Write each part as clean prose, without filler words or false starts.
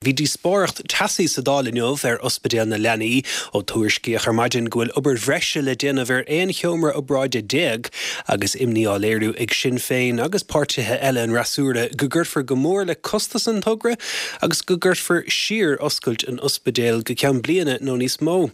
Bhí díospóireacht teasaí sa Dáil inniu ar Ospidéal na Leanaí ó tuairiscíodh ar maidin go bhfuil obair bhreise le déanamh ar 11 sheomra obráide agus imní á léiriú ag Sinn Féin agus páirtithe eile an fhreasúra go gcuirfear go mór le costas an togra agus go gcuirfear siar oscailt an ospidéil go ceann bliana nó níos mó.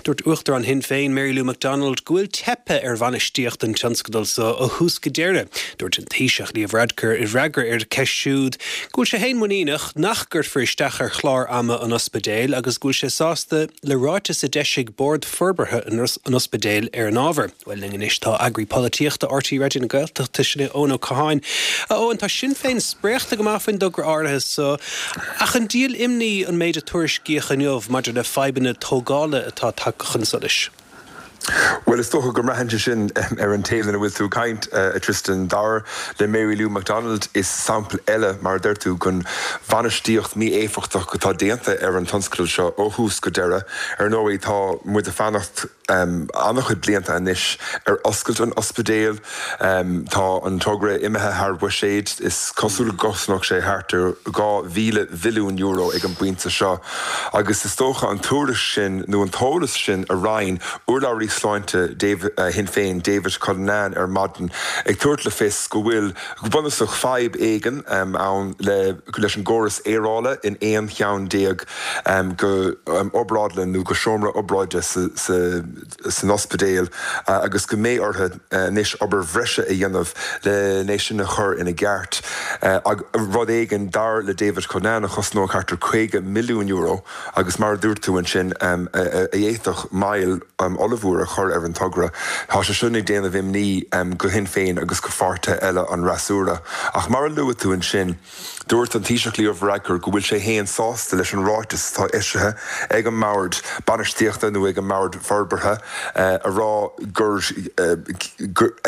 Dúirt Uachtarán Shinn Féin Mary Lou McDonald go bhfuil teipthe ar bhainistíocht an tionscadail so ó thús go deireadh. Dúirt an Taoiseach Leo Varadkar i bhfreagra ar cheist siúd go bhfuil sé féin muiníneach nach gcuirfear isteach ar chlár ama an ospidéil agus go bhfuil sé sásta le ráiteas a d'eisigh Bord Forbartha an Ospidéil ar an ábhar. Bhuel, linn anois tá eagraí polaitíochta RTÉ Raidió na Gaeltachta, sin é Eoin Ó Catháin. A Eoin, tá Sinn Féin spréachta go maith faoin dtogra áirithe so, ach an díol imní an méid a tuairiscíodh inniu maidir le fadhbanna tógála atá tagtha chun solais? Bhuel, is dócha go mbraitheann sé sin ar an té lena bhfuil tú ag caint, a Tristan. Dar le Mary Lou McDonald, is sampla eile, mar a deir tú, den bhainistíocht mí-éifeachtach atá déanta ar an tionscadal seo ó thús go deireadh. Ar ndóigh, tá muid ag fanacht an-chuid blianta anois ar oscailt an ospidéil. Tá an togra imithe thar bhuiséad. Is cosúil go gcosnódh sé thart ar €2,000 mhilliún ag an bpointe seo. Agus is dócha an tuairisc sin, nó an t-eolas sin a roinn urlabhraí sláinte Shinn Féin, David Cullinane ar maidin, ag tabhairt le fios go bhfuil, go bunúsach, fadhb éigin ann leis an gcóras aerála in 11 cheann de obrádlann nó de sheomra obráide san ospidéal agus go mbeidh orthu anois obair bhreise a dhéanamh len é sin a chur ina gceart. Rud éigin, dar le David Cullinane, a chosnódh thart ar €50 milliún agus mar a dúirt tú ansin, a d'fhéadfadh moill ollmhór a chur ar an togra. Tá sé sin ag déanamh imní go Shinn Féin agus go pháirtithe eile an fhreasúra. Ach mar a luaigh tú ansin, Dúirt an Taoiseach Leo Varadkar go bhfuil sé féin sásta leis an ráiteas atá eisithe ag an mBord Bainistíochta nó ag an mBord Forbartha a rá gur,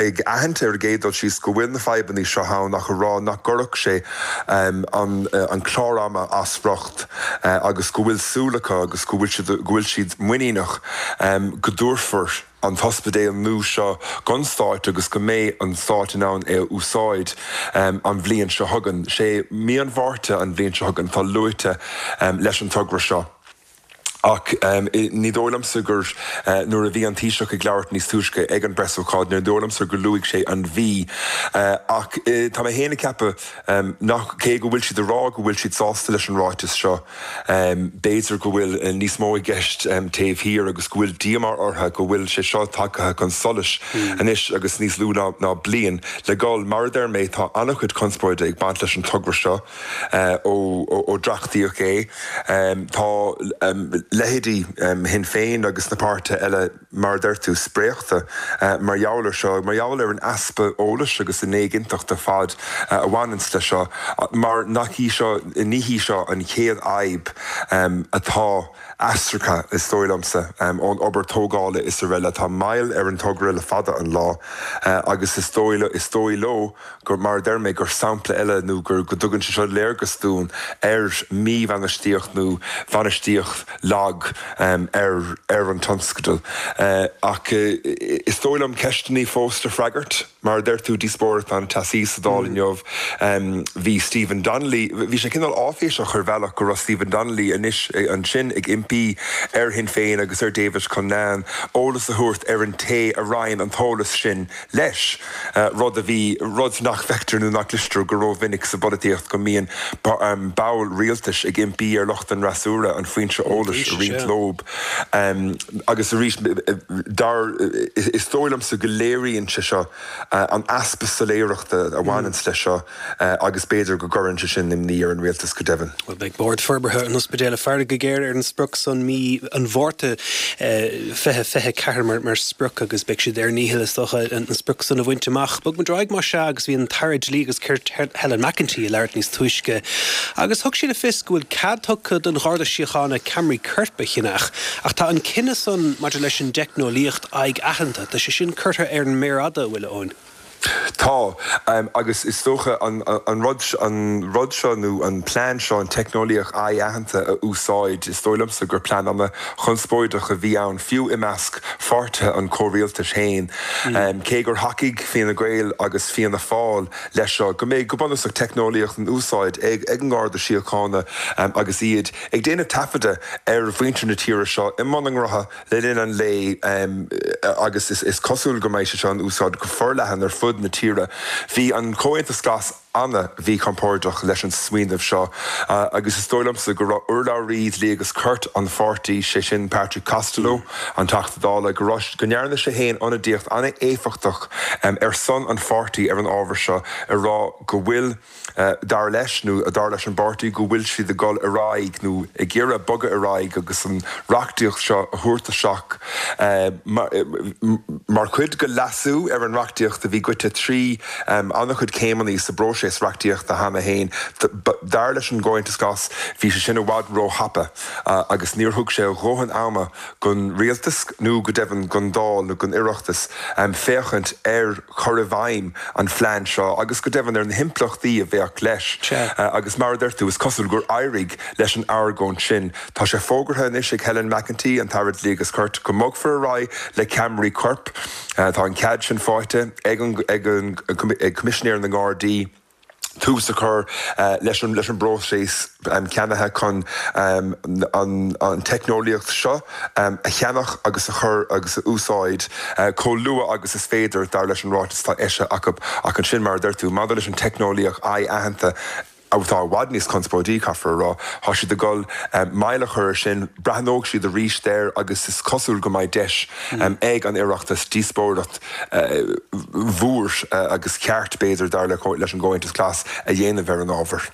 ag aithint ar an gcéad dul síos go bhfuil na fadhbanna seo ann ach a rá nach gcuirfeadh sé an clár ama as riocht agus go bhfuil súil acu agus go bhfuil siad muiníneach go dtabharfar an t-ospidéal nua seo don Stát agus go mbeidh an Stát in ann é a úsáid an bhliain seo chugainn. Sé mí an Mhárta an bhliain seo chugainn atá luaite leis an togra seo. Ach ní dóigh liomsa gur, nuair a bhí an Taoiseach ag labhairt níos túisce ag an bpreasócáid, ní dóigh liomsa gur luaigh sé an mhí. Ach tá mé féin ag ceapadh nach, cé go bhfuil siad ag rá go bhfuil siad sásta leis an ráiteas seo, B'fhéidir go bhfuil níos mó i gceist taobh thiar agus go bhfuil díomá orthu go bhfuil sé seo tagtha chun solais anois agus níos lú ná bliain le dhul. Mar a deir mé, tá an-chuid conspóide ag baint leis an togra seo ó dréachtaíodh é. Tá leithéidí Shinn Féin agus na páirtithe eile, mar a deir tú, spréachta mar gheall air seo, mar gheall ar an easpa eolais agus an éiginnteacht ar fad a bhaineanns leis seo, mar nach í seo, ní hí seo an chéad fhadhb atá eascartha, is dóigh liomsa, ón obair tógála is araile. Tá moill ar an togra le fada an lá agus is dóigh, is dóigh leo gur, mar a deir mé, gur sampla eile nó gur, go dtugann sé seo léargas dúinn ar mhíbhainistíocht nó bhainistíocht lag ar ar an tionscadal. Ach is dóigh liom ceisteanna fós le freagairt. Mar a deir tú, díospóireacht an-teasaí sa Dáil inniu. Bhí Stephen Donnelly, bhí sé cineál áiféiseach ar bhealach go raibh Stephen Donnelly anois ansin ag impí ar Shinn Féin agus ar David Cullinane eolas a thabhairt ar an té a roinn an t-eolas sin leis, rud a bhí, rud nach bhfeictear nó nach gcloistear go rómhinic sa bpolaitíocht, go mbíonn ball rialtais ag impí ar lucht an fhreasúra an foinse eolais a roinnt leob. Agus arís, dar, is dóigh liomsa go léiríonn sé seo an easpa soiléireachta a bhaineanns leis seo agus b'fhéidir go gcuireann sé sin imní ar an rialtas go deimhin. Bhuel, beidh Bord Forbartha an Ospidéil ag faire go géar ar an sprioc san, mí an Mhárta 2024 mar sprioc agus beidh siad ar a ndícheall, is dócha, an sprioc san a bhaint amach. Bog muid ar aghaidh más ea agus bhí an tAire Dlí agus Cirt Helen McEntee ag labhairt níos túisce agus thug sí le fios go bhfuil cead tugtha don Gharda Síochána ceamaraí coirp a cheannach ach tá an cinneadh san maidir leis an dteicneolaíocht aghaidh-aitheanta, tá sé sin curtha ar an méar fhada, a bhfuil, a Eoin. Tá, agus is dócha an rud, an rud seo nó an plean seo, an teicneolaíocht aghaidh-aitheanta a úsáid, is dóigh liomsa gur plean ana-chonspóideach a bhí ann, fiú i measc pháirtithe an chomhrialtais féin. Cé gur thacaigh Fianna Gael agus Fianna Fáil leis seo, go mbeidh, go bunúsach, teicneolaíocht in úsáid ag an nGarda Síochána agus iad ag déanamh taifeadadh ar mhuintir na tíre seo i mbun a ngnótha le linn an lae agus is cosúil go mbeidh sé seo in úsáid go forleathan ar fud na tíre. Bhí an Comhaontas Glas ana-mhíchompordach leis an smaoineamh seo agus is dóigh liomsa go raibh urlabhraí dlí agus cirt an pháirtí, sé sin Patrick Costello, an Teachta Dála, go raibh, go ndearna sé féin ionadaíocht ana-éifeachtach ar son an pháirtí ar an ábhar seo, ag rá go bhfuil. Dar leis, nó dar leis an bpáirtí, go bhfuil siad ag dul ar aghaidh, nó ag iarraidh bogadh ar aghaidh agus an reachtaíocht seo a thabhairt isteach mar chuid de leasú ar an reachtaíocht a bhí gaibhte trí an-chuid céimeanna sa bpróiseas reachtaíochta cheana féin. Dar leis an gComhaontas Glas, bhí sé sin i bhfad róthapa agus níor thug sé a dhóthain ama don rialtas nó go deimhin don Dáil nó don Oireachtas féachaint ar chur i bhfeidhm an phlean seo agus go deimhin ar na himpleachtaí a bheadh leis. Agus mar a deir tú, is cosúil gur éirigh leis an argóint sin. Tá sé fógartha anois ag Helen McEntee, an tAire Dlí agus Cirt, go mbogfar ar aghaidh le ceamaraí coirp. Tá an cead sin faighte ag an Coimisinéir na nGardaí. tús a chur leis an leis an bpróiseas ceannaithe chun an teicneolaíocht seo a cheannach agus a chur agus a úsáid chomh luath agus is féidir, dar leis an ráiteas atá eisithe acu. Ach ansin, mar a deir tú, maidir leis an teicneolaíocht aghaidh-aitheanta, atá i bhfad níos conspóidí, caithfear a rá, tá siad ag dul moill a chur air sin, breathnóidh siad arís air agus is cosúil go mbeidh deis ag an Oireachtas díospóireacht mhór agus cheart, b'fhéidir, dar leis an gComhaontas Glas, a dhéanamh ar an ábhar.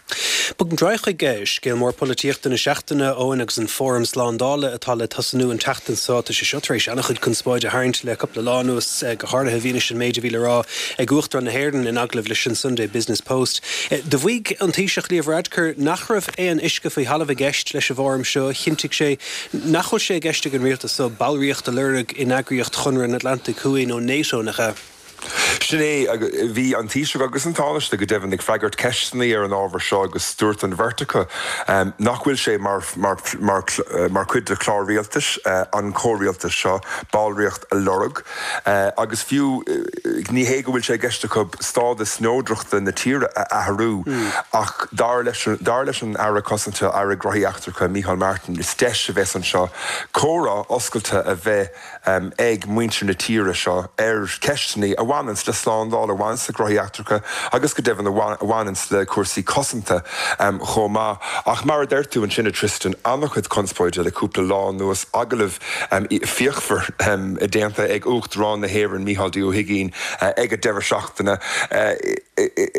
Bogfaimid ar aghaidh chuig scéal mór polaitíochta na seachtaine, Eoin, agus an Fóram Slándála atá le tosnú an tseachtain seo. Tá sé seo tar éis an-chuid conspóide a tharraingt le cúpla lá anuas, go háirithe i bhfianaise an méid a bhí le rá ag Uachtarán na hÉireann in agallamh leis an Sunday Business Post. Do mhaígh an Taoiseach Leo Varadkar nach raibh aon uisce faoi thalamh i gceist leis an bhfóram seo. Chinntigh sé Nach bhfuil sé i gceist ag an rialtas seo ballraíocht a lorg in eagraíocht Chonradh an Atlantaigh Thuaidh nó NATO, nach ea? Sin é. Bhí an Taoiseach agus an Tánaiste go deimhin ag freagairt ceisteanna ar an ábhar seo agus dúirt an bheirt acu nach bhfuil sé mar mar chuid de chlár rialtais an chomhrialtais seo ballraíocht a lorg agus fiú ní hé go bhfuil sé i gceist acu stádas neodrachta na tíre a athrú ach dar leis dar leis an Aire Cosanta, Aire Gnóthaí Eachtracha, Micheál Martin, Is deis a bheas anseo comhrá oscailte a bheith ag muintir na tíre seo ar cheisteanna a bhaineanns le slándáil, a bhaineanns le gnóthaí eachtracha agus go deimhin a bhaineanns le cúrsaí cosanta chomh maith. Ach mar a deir tú ansin, a Tristan, an-chuid conspóide le cúpla lá anuas, agallamh fíochmhar déanta ag Uachtarán na hÉireann, Micheál D. Ó hUigínn, ag an deireadh seachtaine.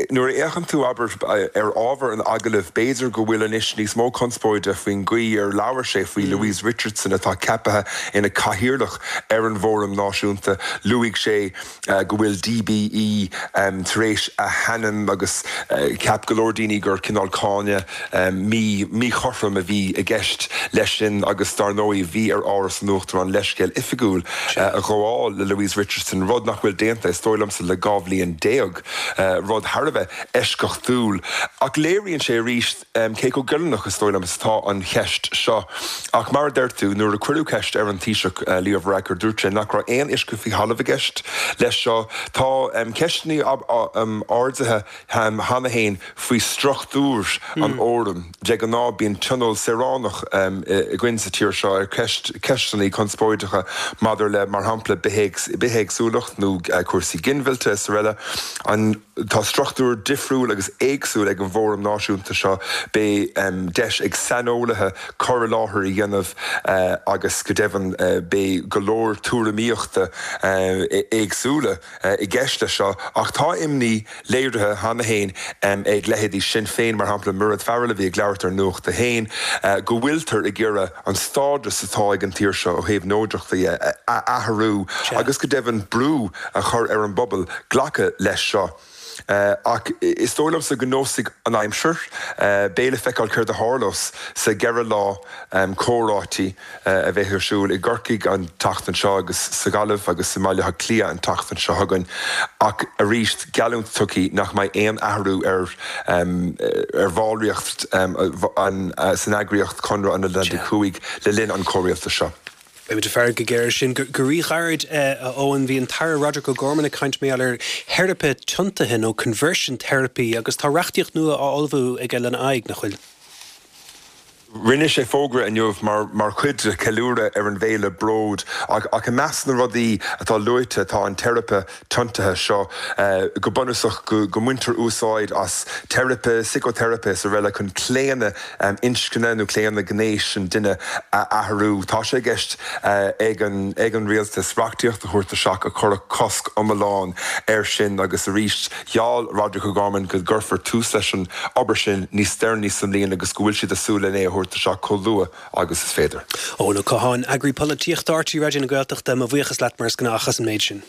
Nuair a fhéachann tú, abair, ar ábhar an agallaimh, b'fhéidir go bhfuil anois níos mó conspóide faoin gcaoi ar labhair sé faoi Louise Richardson atá ceaptha ina cathaoirleach ar an bhFóram Náisiúnta. Luaigh sé go bhfuil DBE tar éis a hainm agus cheap go leor daoine gur cineál cáineadh míchothrom a bhí i gceist leis sin agus dar ndóigh bhí ar Áras an Uachtaráin leithscéal oifigiúil a ghabháil le Louise Richardson, rud nach bhfuil déanta, is dóigh liomsa, le 12 bhliain, rud thar a bheith eisceachtúil. Ach léiríonn sé arís cé chomh goilliúnach, is dóigh liom, is atá an cheist seo. Ach mar a deir tú, nuair a cuireadh ceist ar an Taoiseach, Leo Varadkar, dúirt sé nach raibh aon uisce faoi thalamh i gceist leis seo. Tá ceisteanna ardaithe cheana féin faoi struchtúr an fhóraim. De ghnáth bíonn tionól saoránach againn sa tír seo ar cheisteanna conspóideacha maidir le, mar shampla, bithéagsúlacht nó cúrsaí ginmhillte is araile. Tá struchtúr difriúil agus éagsúil ag an bhFóram Náisiúnta seo. Beidh deis ag saineolaithe cur i láthair a dhéanamh agus go deimhin beidh go leor tuairimíochta éagsúla i gceist leis seo ach tá imní léirithe cheana féin ag leithéidí Sinn Féin, mar shampla Mairéad Farrell a bhí ag labhairt ar Nuacht a hAon, go bhfuiltear ag iarraidh an stádas atá ag an tír seo ó thaobh neodrachta dhe a athrú agus go deimhin brú a chur ar an bpobal glacadh leis seo. Ach is dóigh liomsa go neosfaidh an aimsir. Beidh le feiceáil céard a tharlós sa gceithre lá comhráití a bheidh ar siúl i gCorcaigh an tseachtain seo agus sa Ghaillimh agus i mBaile Átha Cliath an tseachtain seo chugainn. Ach arís, geallúint tugtha nach mbeidh aon athrú ar ar bhallraíocht san eagraíocht Conradh an Atlantaigh Thuaidh le linn an chomhrialtais seo. Beimid ag faire go géar air sin. Go ríghairid, a Eoin, bhí an tAire Roderic O'Gorman ag caint mar gheall ar theiripe tiontaithe nó conversion therapy agus tá reachtaíocht nua á ullmhú aige lena aghaidh, nach bhfuil? Rinne sé fógra inniu mar chuid de cheiliúradh ar an bhféile Bród ach i measc na rudaí atá luaite tá an teiripe tiontaithe seo, go bunúsach go mbaintear úsáid as teiripe, síciteiripe is araile chun claonadh inscne nó claonadh gnéis an duine a athrú. Tá sé i gceist ag an rialtas reachtaíocht a thabhairt isteach a chuirfeadh cosc iomlán air sin agus arís Gheall Roderic O'Gorman go gcuirfear tús leis an obair sin níos deireanaí sa mbliain agus go bhfuil siad ag súil len é a thabhairt isteach chomh luath agus is féidir. Eoin Ó Catháin, Eagraí Polaitíochta RTÉ Raidió na Gaeltachta, mo bhuíochas leat mar is gnách as an méid sin.